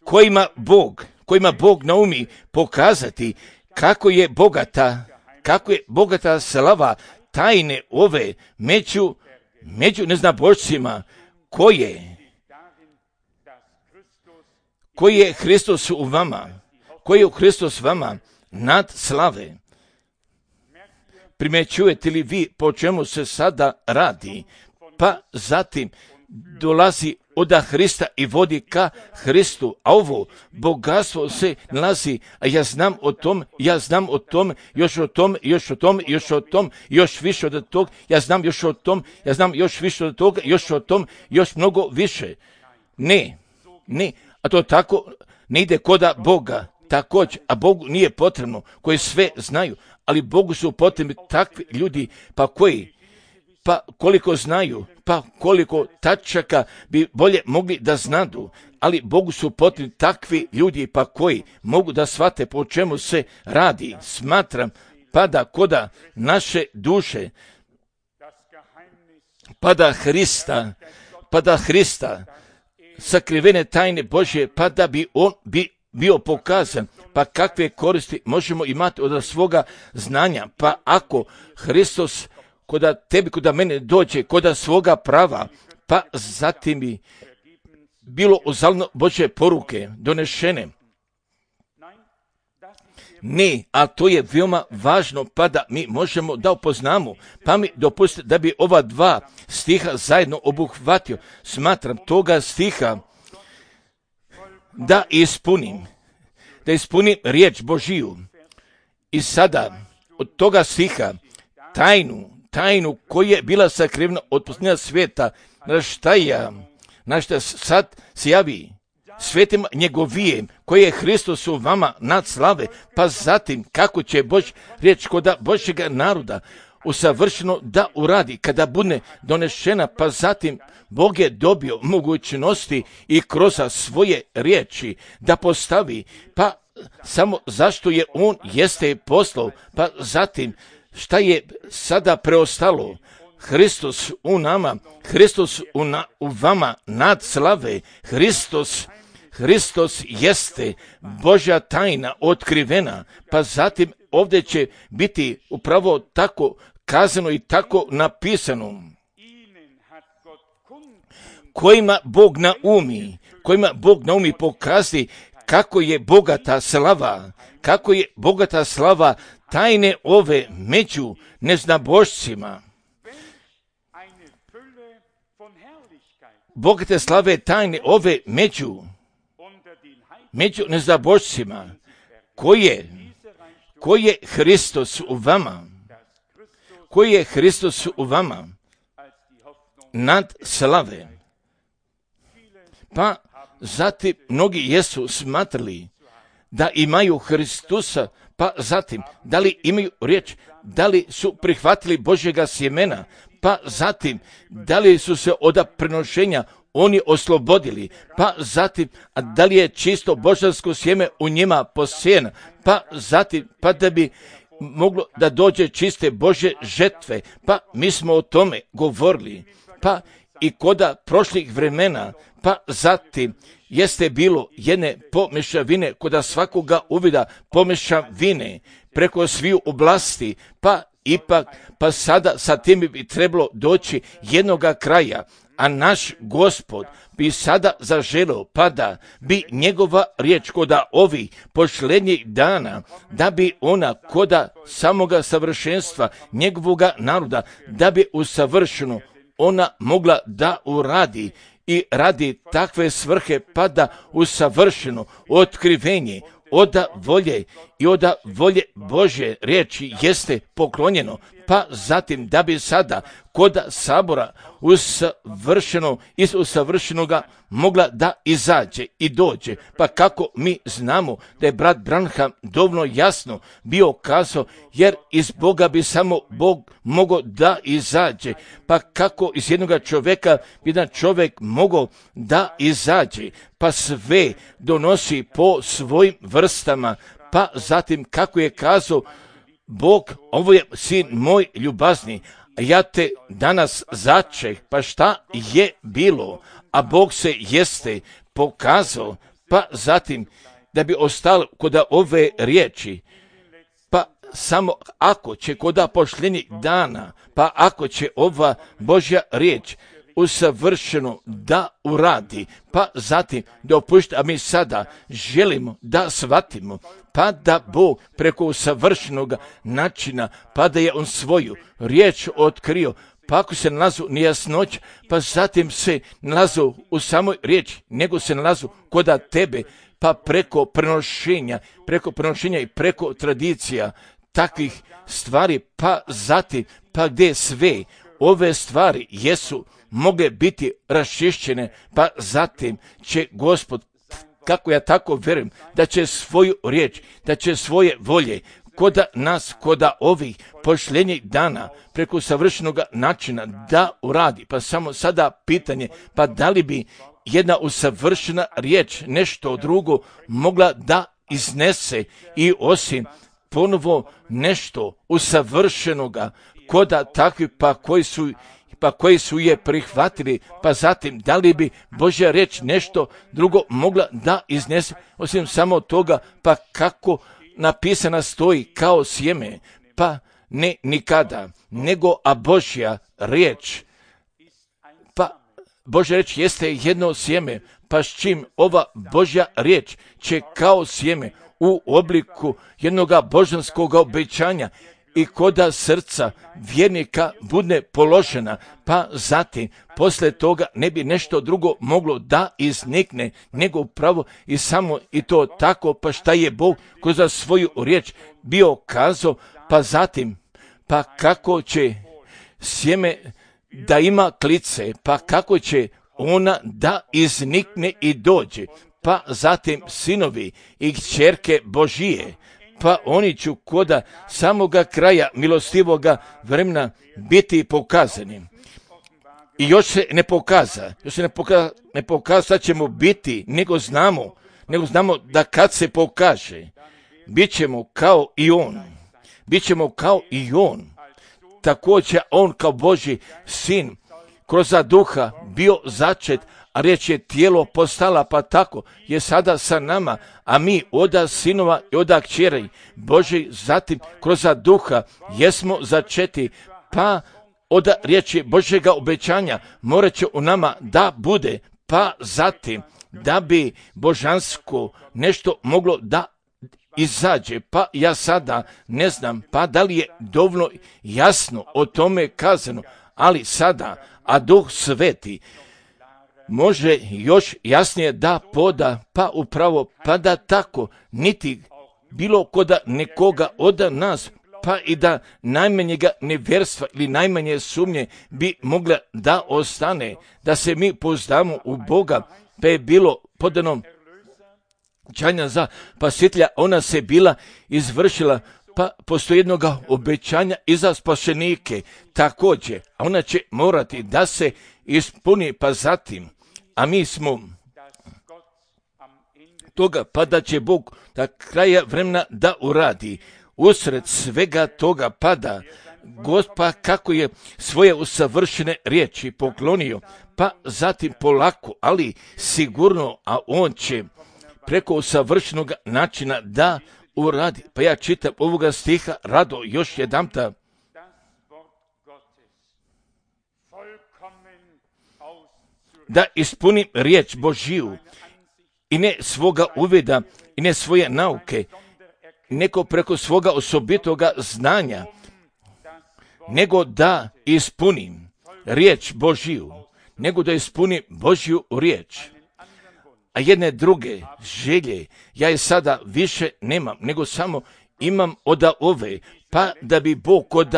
Speaker 1: Kojima Bog, kojima Bog naumi pokazati kako je bogata, kako je bogata slava tajne ove među, među neznabošcima, koje koji je Hristos u vama, koji je Hristos vama nad slave. Primjećujete li vi po čemu se sada radi? Pa zatim dolazi od Hrista i vodi ka Hristu, a ovo bogatstvo se nalazi, a ja znam o tom, ja znam o tom, još o tom, još o tom, još o tom, još više od tog, ja znam još o tom, ja znam još više od toga, još o tom, još mnogo više. Ne, ne, a to tako ne ide koda Boga. također, a Bogu nije potrebno, koji sve znaju, ali Bogu su potrebni takvi ljudi, pa koji, pa koliko znaju, pa koliko tačaka bi bolje mogli da znadu, ali Bogu su potrebni takvi ljudi, pa koji mogu da shvate po čemu se radi. Smatram, pa da koda naše duše, pa da Hrista, pa da Hrista, sakrivene tajne Božje, pa da bi on bi bio pokazan, pa kakve koristi možemo imati od svoga znanja, pa ako Hristos koda tebi, koda mene dođe, koda svoga prava, pa zatim bi bilo uzalno Božje poruke donešene. Ne, a to je veoma važno, pa da mi možemo da upoznamo, pa mi dopustite da bi ova dva stiha zajedno obuhvatio. Smatram toga stiha da ispunim, da ispunim riječ Božiju. I sada od toga stiha tajnu, tajnu koja je bila sakrivena od posljednja svijeta, na šta ja, na šta sad se javi svetim njegovijem, koji je Hristos u vama nad slave, pa zatim kako će Bož riječ koda Božjega naroda usavršeno da uradi, kada bude donešena, pa zatim Bog je dobio mogućnosti i kroz svoje riječi da postavi, pa samo zašto je on jeste poslao, pa zatim šta je sada preostalo, Hristos u nama, Hristos u, na, u vama nad slave, Hristos, Hristos jeste Božja tajna otkrivena, pa zatim ovdje će biti upravo tako kazano i tako napisano. Kojima Bog naumi, kojima Bog naumi pokazi kako je bogata slava, kako je bogata slava tajne ove među neznabošcima. Bogate slave tajne ove među, među neznabošcima, koje, koji je Hristos u vama, koji je Hristos u vama nad slave. Pa zatim mnogi jesu smatrali da imaju Hristusa, pa zatim da li imaju riječ, da li su prihvatili Božjega sjemena, pa zatim da li su se od prenošenja oni oslobodili, pa zatim a da li je čisto božansko sjeme u njima posijeno, pa zatim pa da bi moglo da dođe čiste Božje žetve, pa mi smo o tome govorili, pa i koda prošlih vremena, pa zatim jeste bilo jedne pomešavine, koda svakoga uvida pomešavine preko sviju oblasti, pa ipak, pa sada sa tim bi trebalo doći jednoga kraja, a naš Gospod bi sada zaželio, pa da bi njegova riječ koda ovih posljednjih dana, da bi ona koda samoga savršenstva njegovoga naroda, da bi usavršeno ona mogla da uradi i radi takve svrhe, pa da usavršeno otkrivenje oda volje i oda volje Božje riječi jeste poklonjeno, pa zatim da bi sada koda sabora usavršeno iz usavršenoga mogla da izađe i dođe, pa kako mi znamo da je brat Branham dovoljno jasno bio kazao, jer iz Boga bi samo Bog mogao da izađe, pa kako iz jednoga čovjeka bi jedan čovjek mogao da izađe, pa sve donosi po svojim vrstama, pa zatim kako je kazao Bog, ovo je sin moj ljubazni, a ja te danas začeh, pa šta je bilo, a Bog se jeste pokazao, pa zatim da bi ostalo koda ove riječi, pa samo ako će koda posljednjih dana, pa ako će ova Božja riječ usavršeno da uradi, pa zatim da opušta, a mi sada želimo da shvatimo, pa da Bog preko usavršenog načina, pa da je on svoju riječ otkrio, pa ako se nalazu nejasnoć, pa zatim se nalazu u samoj riječi, nego se nalazu koda tebe, pa preko prenošenja, preko prenošenja i preko tradicija takvih stvari, pa zatim, pa gdje sve ove stvari jesu mogle biti raščišćene, pa zatim će Gospod kako ja tako vjerujem, da će svoju riječ, da će svoje volje, koda nas, koda ovih pošljenjih dana, preko savršenog načina da uradi. Pa samo sada pitanje, pa da li bi jedna usavršena riječ nešto drugo mogla da iznese i osim ponovo nešto usavršenoga koda takvi pa koji su pa koji su je prihvatili, pa zatim da li bi Božja riječ nešto drugo mogla da iznese osim samo toga, pa kako napisana stoji kao sjeme, pa ne nikada, nego a Božja riječ, pa Božja riječ jeste jedno sjeme, pa s čim ova Božja riječ će kao sjeme u obliku jednoga božanskog obećanja i koda srca vjernika bude položena, pa zatim posle toga ne bi nešto drugo moglo da iznikne, nego upravo i samo i to tako, pa šta je Bog kroz svoju riječ bio kazao, pa zatim, pa kako će sjeme da ima klice, pa kako će ona da iznikne i dođe, pa zatim sinovi i kćerke Božije, pa oni ću koda samoga kraja milostivoga vremena biti pokazani. I još se ne pokaza, još se ne pokaza, ne pokaza da ćemo biti, nego znamo, nego znamo da kad se pokaže, bit ćemo kao i on, bit ćemo kao i on. Također on kao Božji sin kroz duha bio začet, a riječ je tijelo postala, pa tako je sada sa nama, a mi oda sinova i oda kćeri Božji, zatim kroz duha jesmo začeti, pa oda riječi Božjega obećanja morat će u nama da bude, pa zatim da bi božansko nešto moglo da izađe, pa ja sada ne znam, pa da li je dovoljno jasno o tome kazano, ali sada, a Duh Sveti može još jasnije da poda, pa upravo, pa da tako, niti bilo koda nekoga od nas, pa i da najmanjega nevjerstva ili najmanje sumnje bi mogla da ostane, da se mi pouzdamo u Boga, pa je bilo podano obećanja za spasitelja, ona se bila izvršila, pa postoji jednog obećanja i za spašenike također, a ona će morati da se ispuni, pa zatim, a mi smo toga, pa da će Bog da kraja vremena da uradi, usred svega toga pada, Gospa kako je svoje usavršene riječi poklonio, pa zatim polako, ali sigurno, a on će preko usavršenog načina da uradi. Pa ja čitam ovoga stiha rado još jedamta. Da ispunim riječ Božiju i ne svoga uvida i ne svoje nauke, neko preko svoga osobitoga znanja, nego da ispunim riječ Božiju, nego da ispunim Božju riječ. A jedne druge želje, ja je sada više nemam, nego samo imam od ove, pa da bi Bog od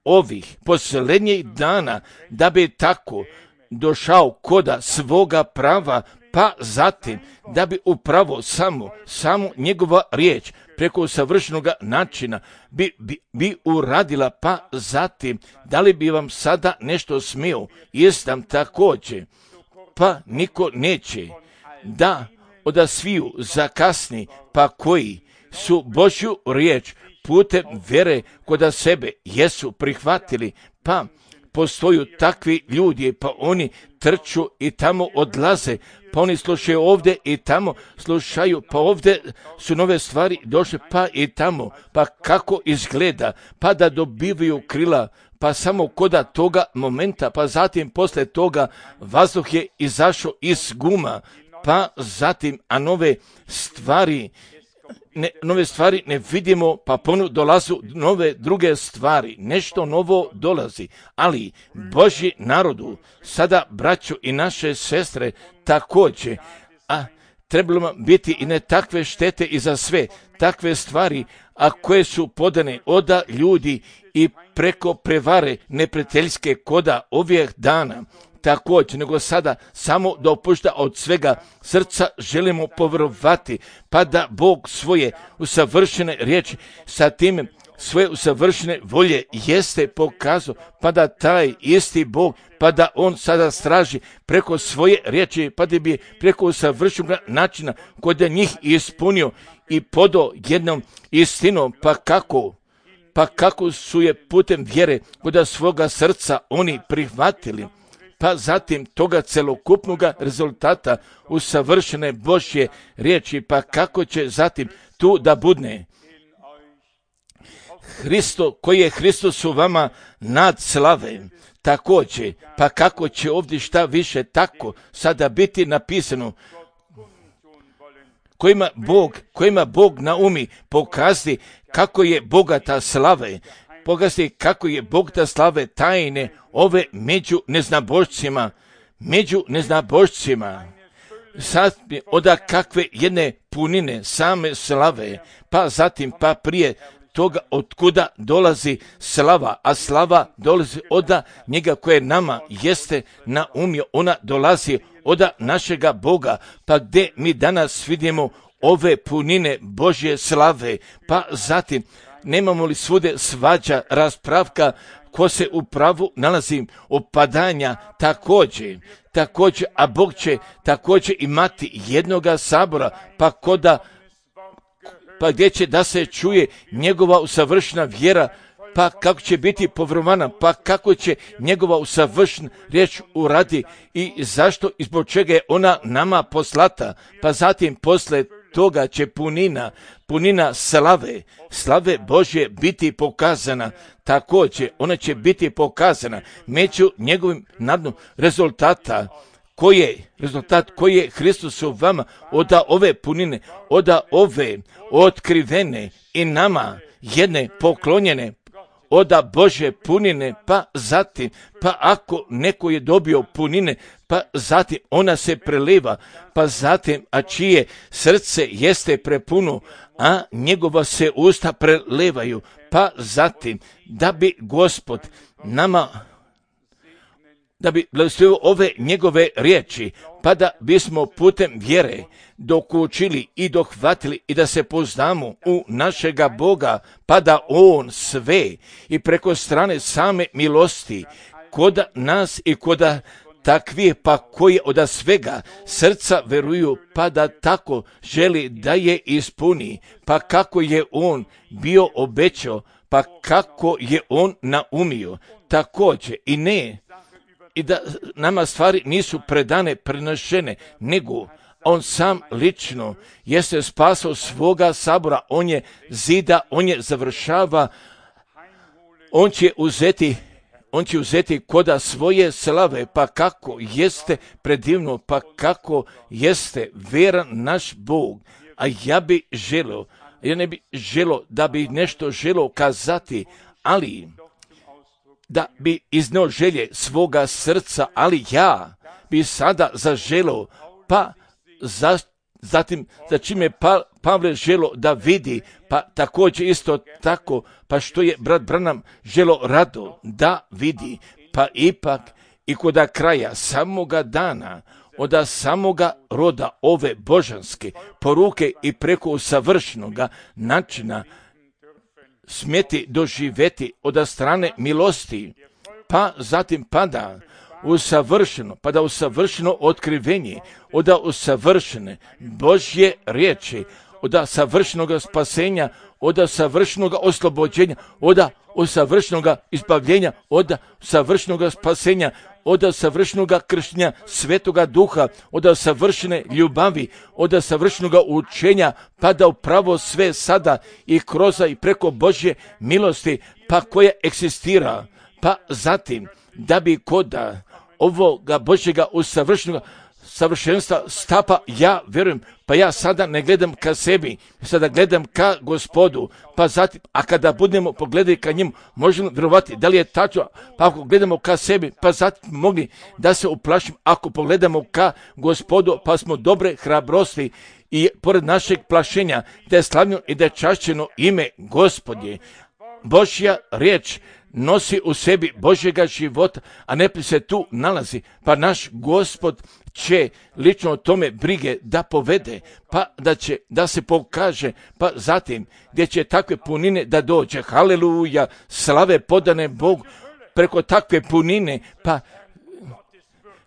Speaker 1: ovih posljednjih dana, da bi tako došao koda svoga prava, pa zatim da bi upravo samo, samo njegova riječ preko savršenog načina bi, bi, bi uradila, pa zatim da li bi vam sada nešto smio, jesam također, pa niko neće da od sviju zakasni, pa koji su Božju riječ putem vjere kod sebe jesu prihvatili, pa postoju takvi ljudi, pa oni trču i tamo odlaze, pa oni slušaju ovdje i tamo slušaju, pa ovdje su nove stvari došle, pa i tamo, pa kako izgleda, pa da dobivaju krila, pa samo koda toga momenta, pa zatim posle toga vazduh je izašao iz guma, pa zatim, a nove stvari, ne, nove stvari ne vidimo, pa ponu dolazu nove druge stvari, nešto novo dolazi, ali Božji narodu, sada braćo i naše sestre također, a trebalo biti i ne takve štete i za sve takve stvari, a koje su podane od ljudi i preko prevare neprijateljske koda ovih dana, također, nego sada samo dopušta od svega srca želimo povjerovati, pa da Bog svoje usavršene riječi sa time svoje usavršene volje jeste pokazao, pa da taj isti Bog, pa da on sada straži preko svoje riječi, pa da bi preko usavršenog načina kod je njih ispunio i podao jednom istinom, pa kako, pa kako su je putem vjere kod svoga srca oni prihvatili, pa zatim toga celokupnog rezultata usavršene Božje riječi, pa kako će zatim tu da budne Hristo, koji je Hristos u vama nad slave, također, pa kako će ovdje šta više tako sada biti napisano, kojima Bog, kojima Bog naumi pokazati kako je bogata slave, pokazati kako je bogata slave tajne ove među neznabošcima, među neznabošcima, sad oda kakve jedne punine same slave, pa zatim pa prije toga otkuda dolazi slava, a slava dolazi oda njega koje nama jeste naumio, ona dolazi oda našega Boga, pa gdje mi danas vidimo ove punine Božje slave, pa zatim nemamo li svude svađa, raspravka, ko se u pravu nalazi, opadanja također, također, a Bog će također imati jednoga sabora, pa koda pa gdje će da se čuje njegova usavršena vjera, pa kako će biti povjerovana, pa kako će njegova usavršena riječ uradi i zašto i zbog čega je ona nama poslata, pa zatim posle toga će punina, punina slave, slave Božje biti pokazana, također ona će biti pokazana među njegovim nadnom rezultata, koji je rezultat, koji je Hristos u vama, oda ove punine, oda ove otkrivene i nama jedne poklonjene, oda Božje punine, pa zatim, pa ako neko je dobio punine, pa zatim ona se preliva, pa zatim, a čije srce jeste prepuno, a njegova se usta prelevaju, pa zatim, da bi Gospod nama da bi blagoslovio ove njegove riječi, pa da bismo putem vjere dokučili i dohvatili i da se poznamo u našega Boga, pa da On sve i preko strane same milosti koda nas i koda takvih, pa koji od svega srca veruju, pa da tako želi da je ispuni, pa kako je On bio obećao, pa kako je On naumio, također i ne i da nama stvari nisu predane, prenošene, nego on sam lično jeste spasao svoga sabora, on je zida, on je završava, on će uzeti, on će uzeti koda svoje slave, pa kako jeste predivno, pa kako jeste veran naš Bog, a ja bi želio, ja ne bi želio da bi nešto želio kazati, ali da bi izneo želje svoga srca, ali ja bi sada zaželio, pa za, zatim za čime pa, Pavle želo da vidi, pa također isto tako, pa što je brat Branham želo rado da vidi, pa ipak i koda kraja samoga dana, od samoga roda ove božanske poruke i preko usavršenoga načina smjeti doživjeti od strane milosti, pa zatim pada usavršeno, pa da usavršeno otkrivenje, od usavršene Božje riječi, od savršenog spasenja, od savršenog oslobođenja, od savršenog izbavljenja, od savršenog spasenja, od savršenog krštenja Svetoga Duha, od savršene ljubavi, od savršenog učenja, pa da upravo sve sada i kroz i preko Božje milosti, pa koja eksistira, pa zatim da bi koda ovoga Božjega usavršenog savršenstva stapa, ja vjerujem, pa ja sada ne gledam ka sebi, sada gledam ka Gospodu, pa zatim, a kada budemo pogledati ka njemu, možemo vjerovati da li je tačno, pa ako gledamo ka sebi, pa zatim mogli da se uplašim, ako pogledamo ka Gospodu, pa smo dobre hrabrosti i pored našeg plašenja, da je slavljeno i da je čašćeno ime Gospodje. Božja riječ nosi u sebi Božjega života, a ne se tu nalazi, pa naš Gospod će lično o tome brige da povede, pa da će da se pokaže, pa zatim gdje će takve punine da dođe, haleluja, slave podane Bogu preko takve punine, pa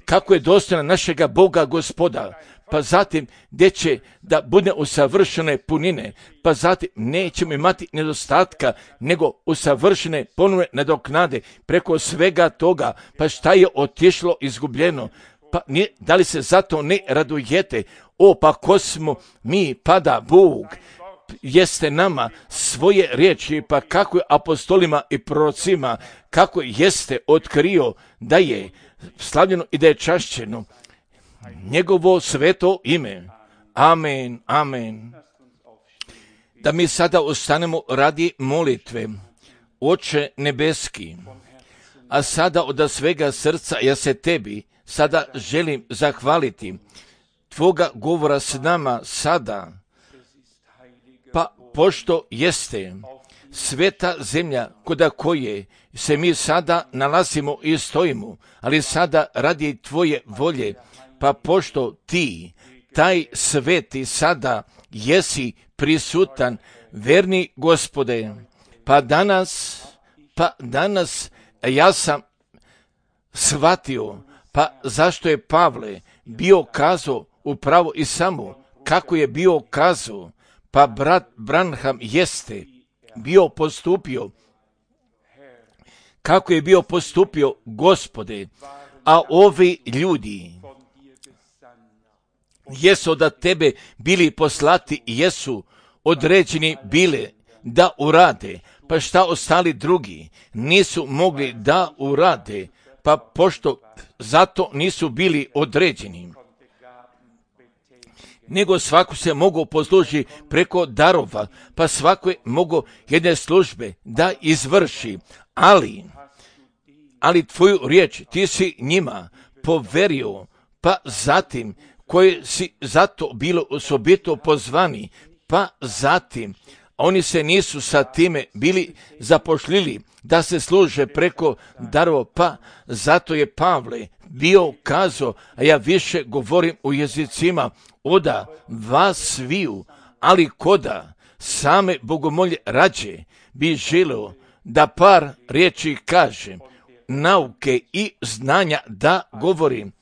Speaker 1: kako je dostojna našega Boga Gospoda, pa zatim gdje će da bude usavršene punine, pa zatim nećemo imati nedostatka, nego usavršene ponovne nadoknade preko svega toga, pa šta je otišlo izgubljeno, pa nije, da li se zato ne radujete? O, pa ko smo mi, pa da Bog jeste nama svoje riječi, pa kako je apostolima i prorocima, kako jeste otkrio da je slavljeno i da je čašćeno njegovo sveto ime. Amen, amen. Da mi sada ostanemo radi molitve. Oče nebeski, a sada od svega srca ja se tebi sada želim zahvaliti tvoga govora s nama sada, pa pošto jeste sveta zemlja koda koje se mi sada nalazimo i stojimo, ali sada radi tvoje volje, pa pošto ti, taj sveti sada jesi prisutan, verni Gospode, pa danas, pa danas ja sam shvatio, pa zašto je Pavle bio kazao upravo i samo kako je bio kazao, pa brat Branham jeste bio postupio, kako je bio postupio Gospode, a ovi ljudi jesu od tebe bili poslati, jesu određeni bile da urade, pa šta ostali drugi nisu mogli da urade, pa pošto zato nisu bili određeni, nego svako se mogu posluži preko darova, pa svako je mogu jedne službe da izvrši, ali, ali tvoju riječ ti si njima poverio, pa zatim koji si zato bilo osobito pozvani, pa zatim oni se nisu sa time bili zapošljili da se služe preko darova, pa zato je Pavle bio kazao, a ja više govorim u jezicima oda vas sviju, ali koda same bogomolje rađe bi želeo da par riječi kažem, nauke i znanja da govorim,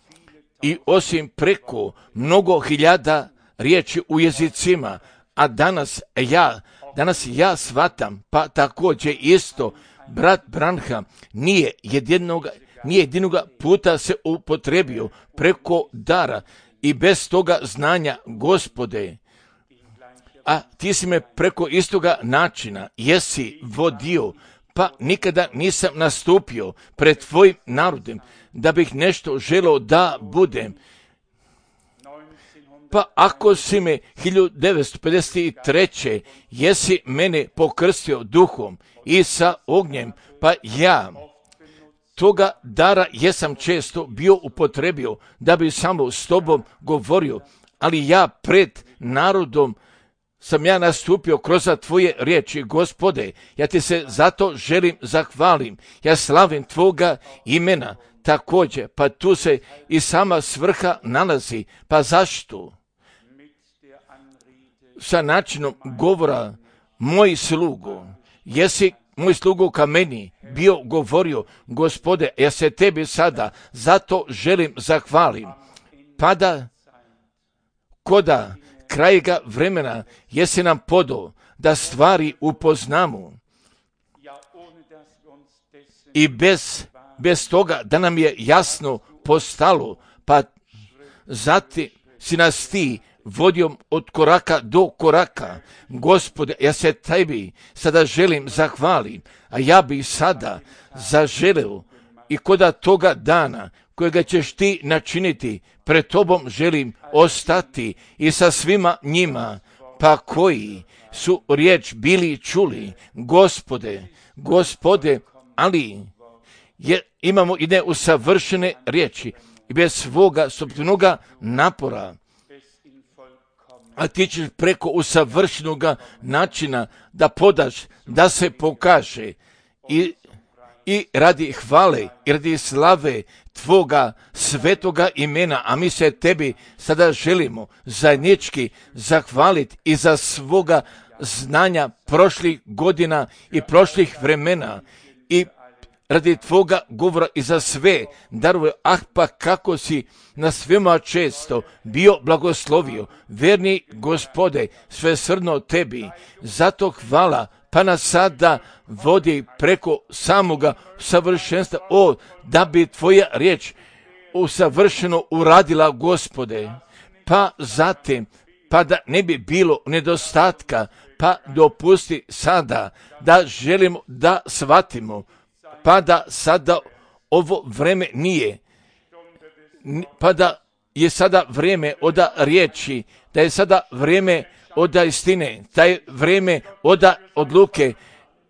Speaker 1: i osim preko mnogo hiljada riječi u jezicima, a danas ja, danas ja shvatam, pa također isto brat Branham nije jedinoga, nije jedinoga puta se upotrebio preko dara i bez toga znanja, Gospode, a ti si me preko istoga načina jesi vodio, pa nikada nisam nastupio pred tvojim narodem da bih nešto želeo da budem. Pa ako si me hiljadu devetsto pedeset treće jesi mene pokrstio duhom i sa ognjem, pa ja toga dara jesam često bio upotrebio da bi samo s tobom govorio, ali ja pred narodom sam ja nastupio kroz tvoje riječi, Gospode, ja ti se zato želim zahvalim, ja slavim tvoga imena također, pa tu se i sama svrha nalazi, pa zašto? Sa načinom govora, moj slugo, jesi moj slugo ka meni bio govorio, Gospode, ja se tebi sada zato želim zahvalim, pa da koda krajega vremena jesi nam podao da stvari upoznamo i bez, bez toga da nam je jasno postalo, pa zatim si nas ti vodio od koraka do koraka. Gospode, ja se tebi sada želim zahvalim, a ja bih sada zaželeo i koda toga dana kojega ćeš ti načiniti, pred tobom želim ostati i sa svima njima, pa koji su riječ bili čuli, Gospode, Gospode, ali je, imamo i neusavršene riječi i bez svoga sopstvenoga napora, a ti ćeš preko usavršenog načina da podaš, da se pokaže i, i radi hvale i radi slave Tvoga svetoga imena, a mi se Tebi sada želimo zajednički zahvaliti i za svoga znanja prošlih godina i prošlih vremena i radi Tvoga govora i za sve darove, ah pa kako si na svima često bio blagoslovio, verni Gospode, svesrdno Tebi, zato hvala, pa nas sada vodi preko samoga savršenstva, o, da bi Tvoja riječ usavršeno uradila, Gospode, pa zatim, pa da ne bi bilo nedostatka, pa dopusti sada da želimo da shvatimo, pa da sada ovo vreme nije, pa da je sada vrijeme od riječi, da je sada vrijeme od istine, da je vrijeme od odluke,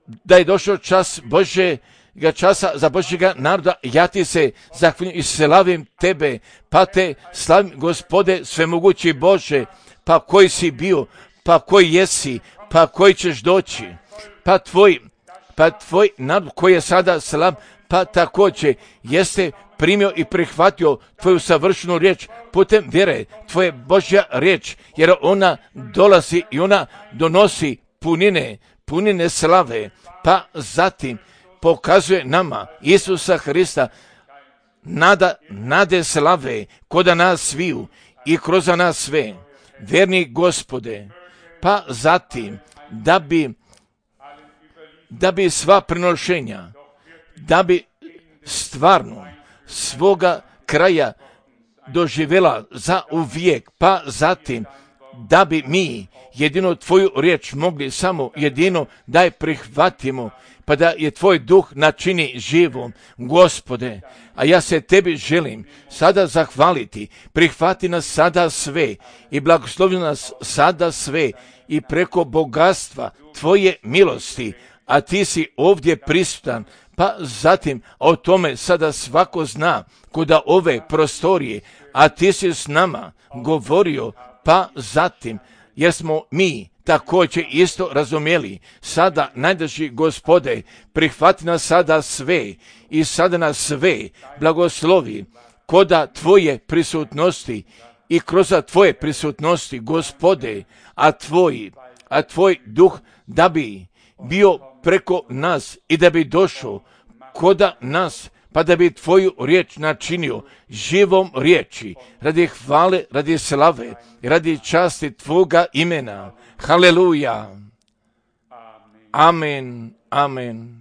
Speaker 1: da je došao čas Božjega časa za Božjega naroda. Ja ti se zahvaljujem i slavim Tebe, pa te slavim, Gospode, svemogući Bože, pa koji si bio, pa koji jesi, pa koji ćeš doći, pa tvoj pa tvoj narod koji je sada slav, pa također jeste primio i prihvatio Tvoju savršenu riječ putem vjere, Tvoje Božja riječ, jer ona dolazi i ona donosi punine, punine slave, pa zatim pokazuje nama Isusa Hrista, nada, nade slave koda nas sviju i kroz nas sve, verni Gospode, pa zatim da bi da bi sva prinošenja, da bi stvarno svoga kraja doživjela za uvijek, pa zatim da bi mi jedino Tvoju riječ mogli samo jedino da je prihvatimo, pa da je Tvoj duh načini živom, Gospode. A ja se Tebi želim sada zahvaliti, prihvati nas sada sve i blagoslovi nas sada sve i preko bogatstva Tvoje milosti, a Ti si ovdje prisutan, pa zatim o tome sada svako zna kuda ove prostorije, a Ti si s nama govorio, pa zatim, jer smo mi također isto razumjeli, sada najdraži Gospode, prihvati nas sada sve i sada nas sve blagoslovi koda Tvoje prisutnosti i kroz Tvoje prisutnosti, Gospode, a Tvoj, a Tvoj duh da bi bio preko nas i da bi došao koda nas, pa da bi Tvoju riječ načinio živom riječi, radi hvale, radi slave, radi časti Tvoga imena. Haleluja. Amen. Amen.